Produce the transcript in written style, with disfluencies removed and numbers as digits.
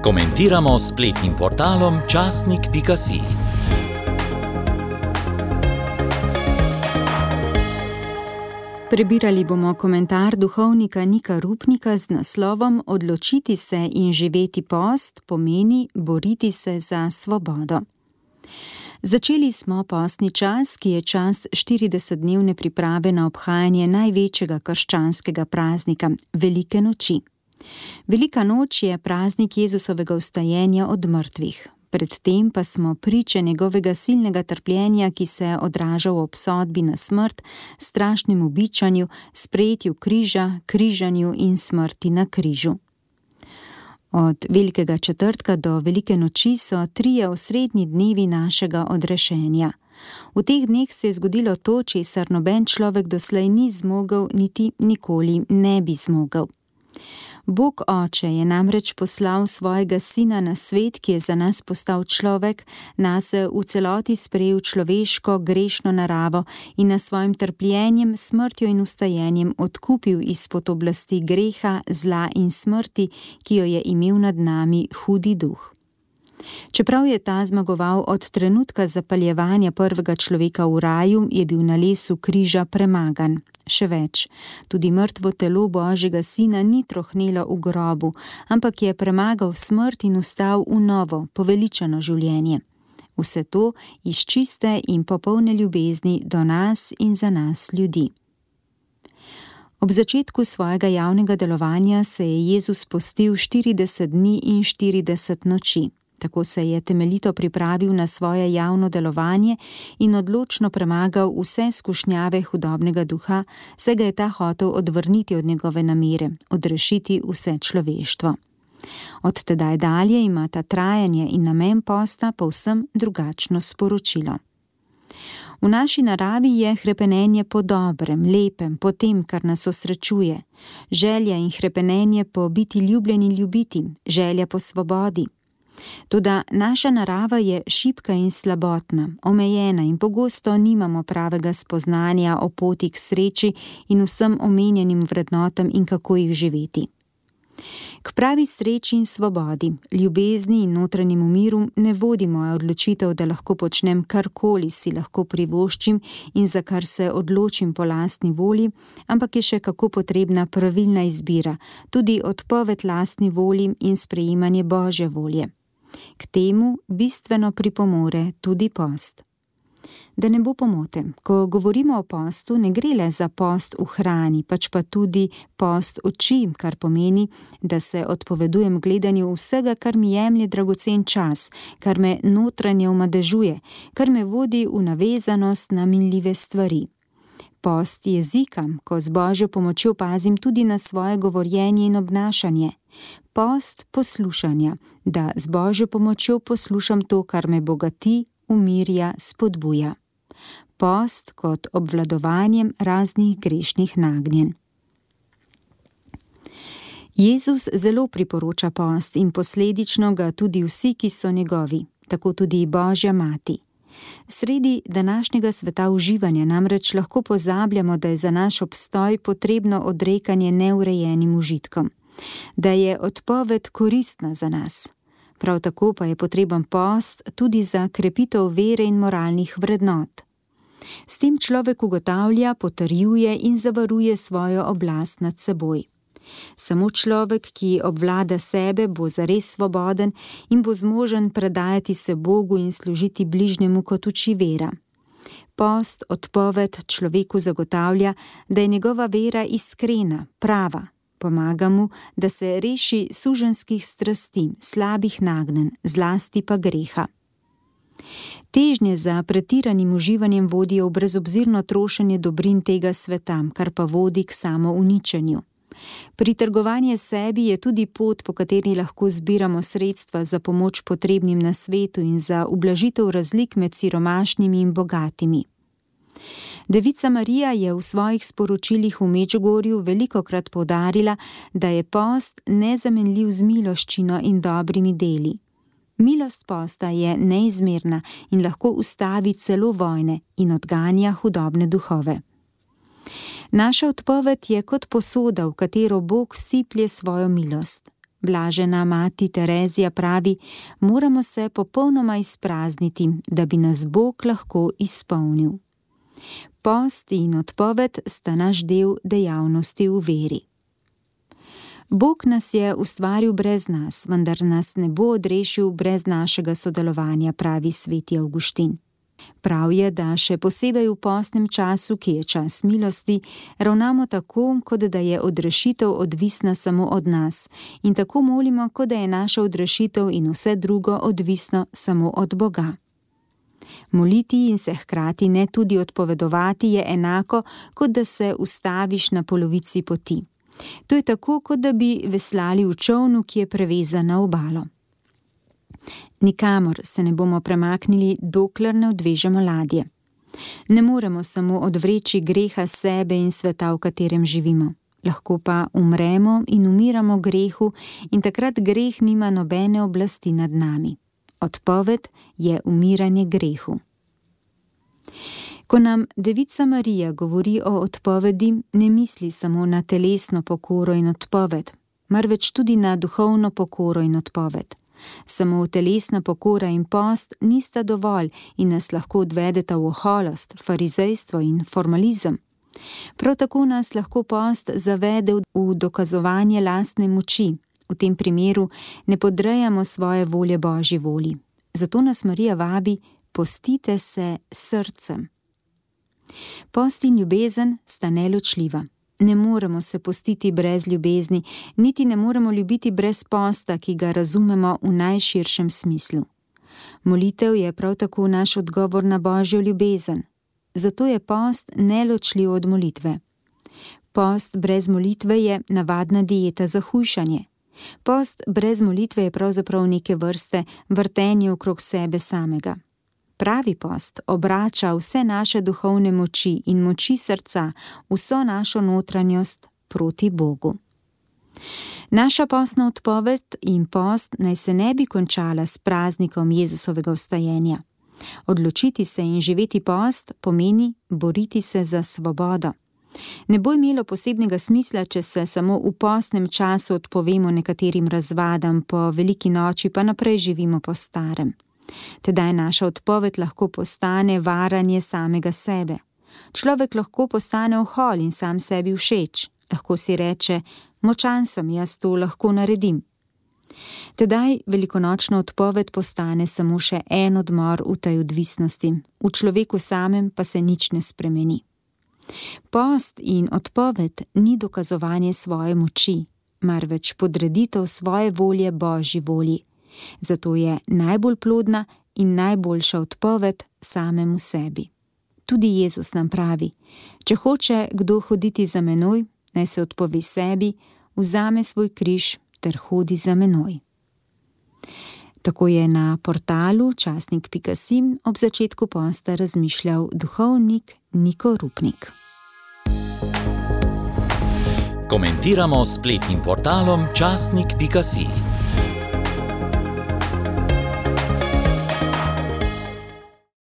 Komentiramo s spletnim portalom časnik.si. Prebirali bomo komentar duhovnika Nika Rupnika z naslovom Odločiti se in živeti post pomeni boriti se za svobodo. Začeli smo postni čas, ki je čas 40-dnevne priprave na obhajanje največjega krščanskega praznika, Velike noči. Velika noč je praznik Jezusovega vstajenja od mrtvih. Predtem pa smo priče njegovega silnega trpljenja, ki se odraža v obsodbi na smrt, strašnem ubičanju, sprejetju križa, križanju in smrti na križu. Od Velikega četrtka do Velike noči so 3 osrednji dnevi našega odrešenja. V teh dneh se je zgodilo to, česar noben človek doslej ni zmogel, niti nikoli ne bi zmogel. Bog Oče je namreč poslal svojega Sina na svet, ki je za nas postal človek, nas v celoti sprejel človeško, grešno naravo in nas svojim trpljenjem, smrtjo in vstajenjem odkupil izpod oblasti greha, zla in smrti, ki jo je imel nad nami hudi duh. Čeprav je ta zmagoval od trenutka zapaljevanja prvega človeka v raju, je bil na lesu križa premagan. Še več, tudi mrtvo telo Božjega Sina ni trohnelo v grobu, ampak je premagal smrt in vstal v novo, poveličano življenje. Vse to iz čiste in popolne ljubezni do nas in za nas ljudi. Ob začetku svojega javnega delovanja se je Jezus postil 40 dni in 40 noči. Tako se je temeljito pripravil na svoje javno delovanje in odločno premagal vse skušnjave hudobnega duha, saj ga je ta hotel odvrniti od njegove namere, odrešiti vse človeštvo. Od tedaj dalje ima ta trajanje in namen posta povsem drugačno sporočilo. V naši naravi je hrepenenje po dobrem, lepem, po tem, kar nas osrečuje, želja in hrepenenje po biti ljubljen in ljubiti, želja po svobodi. Toda naša narava je šibka in slabotna, omejena in pogosto nimamo pravega spoznanja o poti k sreči in vsem omenjenim vrednotam in kako jih živeti. K pravi sreči in svobodi, ljubezni in notranjemu miru ne vodi moja odločitev, da lahko počnem karkoli si lahko privoščim in za kar se odločim po lastni volji, ampak je še kako potrebna pravilna izbira, tudi odpoved lastni volji in sprejemanje Božje volje. K temu bistveno pripomore tudi post. Da ne bo pomote, ko govorimo o postu, ne gre le za post v hrani, pač pa tudi post oči, kar pomeni, da se odpovedujem gledanju vsega, kar mi jemlje dragocen čas, kar me notranje omadežuje, kar me vodi v navezanost na minljive stvari. Post jezika, ko z Božjo pomočjo pazim tudi na svoje govorjenje in obnašanje. Post poslušanja, da z Božjo pomočjo poslušam to, kar me bogati, umirja, spodbuja. Post kot obvladovanjem raznih grešnih nagnjenj. Jezus zelo priporoča post in posledično ga tudi vsi, ki so njegovi, tako tudi Božja mati. Sredi današnjega sveta uživanja namreč lahko pozabljamo, da je za naš obstoj potrebno odrekanje neurejenim užitkom, da je odpoved koristna za nas. Prav tako pa je potreben post tudi za krepitev vere in moralnih vrednot. S tem človek ugotavlja, potrjuje in zavaruje svojo oblast nad seboj. Samo človek, ki obvlada sebe, bo zares svoboden in bo zmožen predajati se Bogu in služiti bližnjemu, kot uči vera. Post, odpoved človeku zagotavlja, da je njegova vera iskrena, prava. Pomaga mu, da se reši suženjskih strasti, slabih nagnjenj, zlasti pa greha. Težnje za pretiranim uživanjem vodijo v brezobzirno trošenje dobrin tega sveta, kar pa vodi k samouničenju. Pritrgovanje sebi je tudi pot, po kateri lahko zbiramo sredstva za pomoč potrebnim na svetu in za ublažitev razlik med siromašnimi in bogatimi. Devica Marija je v svojih sporočilih v Medžugorju velikokrat poudarila, da je post nezamenljiv z miloščino in dobrimi deli. Milost posta je neizmerna in lahko ustavi celo vojne in odganja hudobne duhove. Naša odpoved je kot posoda, v katero Bog vsiplje svojo milost. Blažena mati Terezija pravi, moramo se popolnoma izprazniti, da bi nas Bog lahko izpolnil. Post in odpoved sta naš del dejavnosti v veri. Bog nas je ustvaril brez nas, vendar nas ne bo odrešil brez našega sodelovanja, pravi sveti Avguštin. Prav je, da še posebej v postnem času, ki je čas milosti, ravnamo tako, kot da je odrešitev odvisna samo od nas, in tako molimo, kot da je naša odrešitev in vse drugo odvisno samo od Boga. Moliti in se hkrati ne tudi odpovedovati je enako, kot da se ustaviš na polovici poti. To je tako, kot da bi veslali v čolnu, ki je prevezan na obalo. Nikamor se ne bomo premaknili, dokler ne odvežemo ladje. Ne moremo samo odvreči greha sebe in sveta, v katerem živimo. Lahko pa umremo in umiramo grehu in takrat greh nima nobene oblasti nad nami. Odpoved je umiranje grehu. Ko nam Devica Marija govori o odpovedi, ne misli samo na telesno pokoro in odpoved, marveč tudi na duhovno pokoro in odpoved. Samo telesna pokora in post nista dovolj in nas lahko odvedeta v oholost, farizejstvo in formalizem. Prav tako nas lahko post zavede v dokazovanje lastne moči. V tem primeru ne podrejamo svoje volje Božji volji. Zato nas Marija vabi, postite se srcem. Post in ljubezen sta neločljiva. Ne moremo se postiti brez ljubezni, niti ne moremo ljubiti brez posta, ki ga razumemo v najširšem smislu. Molitev je prav tako naš odgovor na Božjo ljubezen. Zato je post neločljiv od molitve. Post brez molitve je navadna dieta za hujšanje. Post brez molitve je pravzaprav neke vrste vrtenje okrog sebe samega. Pravi post obrača vse naše duhovne moči in moči srca, vso našo notranjost proti Bogu. Naša postna odpoved in post naj se ne bi končala s praznikom Jezusovega vstajenja. Odločiti se in živeti post pomeni boriti se za svobodo. Ne bo imelo posebnega smisla, če se samo v postnem času odpovemo nekaterim razvadam, po veliki noči pa naprej živimo po starem. Tedaj naša odpoved lahko postane varanje samega sebe. Človek lahko postane ohol in sam sebi všeč. Lahko si reče, močan sem, jaz to lahko naredim. Tedaj velikonočna odpoved postane samo še en odmor v tej odvisnosti. V človeku samem pa se nič ne spremeni. Post in odpoved ni dokazovanje svoje moči, marveč podreditev svoje volje Božji volji. Zato je najbolj plodna in najboljša odpoved samemu sebi. Tudi Jezus nam pravi, če hoče kdo hoditi za menoj, naj se odpove sebi, vzame svoj križ ter hodi za menoj. Tako je na portalu časnik.si ob začetku posta razmišljal duhovnik Niko Rupnik. Komentiramo s spletnim portalom časnik.si.